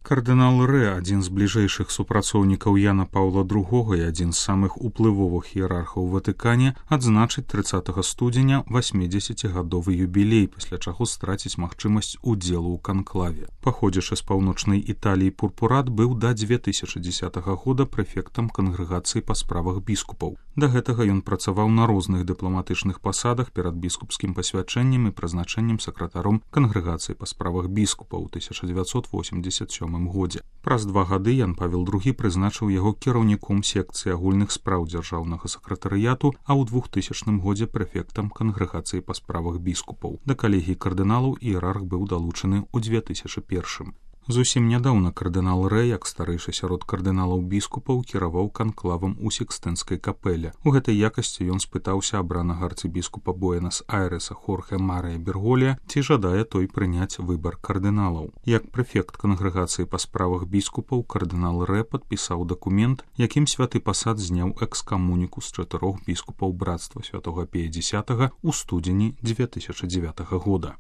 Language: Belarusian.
Кардынал Рэ, адзін з бліжэйшых супрацоўнікаў Яна Паўла II і адзін з самых уплывовых іерархаў у Ватыкане, адзначыць 30 студзеня 80-гадовы юбілей, пасля чаго страціць магчымасць удзелу ў канклаве. Паходзячы з паўночнай Італіі, Пурпурат быў да 2010 года прэфектам кангрэгацыі па справах біскупаў. Да гэтага ён працаваў на розных дыпламатычных пасадах перад біскупскім пасвячэннем і прызначэннем сакратаром кангрэгацыі па справах біскупаў у 1987 годзе. Праз 2 гады Ян Павел II прызначыў яго кіраўніком секцыі агульных спраў дзяржаўнага сакратарыяту, а ў 2000 годзе прэфектам кангрэгацыі па справах біскупаў. Да калегіі кардыналаў іерарх быў далучаны ў 2001. Зусім нядаўна кардынал Рэ, як старэйшы сярод кардыналаў біскупаў, кіраваў канклавам у Сікстэнскай капэле. У гэтай якасці ён спытаўся абранага арцыбіскупа Буэнас-Айрэса Хорхе Марыя Берголія, ці жадае той прыняць выбар кардыналаў. Як прэфект кангрэгацыі па справах біскупаў, кардынал Рэ падпісаў дакумент, якім святы пасад зняў экскамуніку з 4 біскупаў брацтва святога Пія X у студзені 2009 года.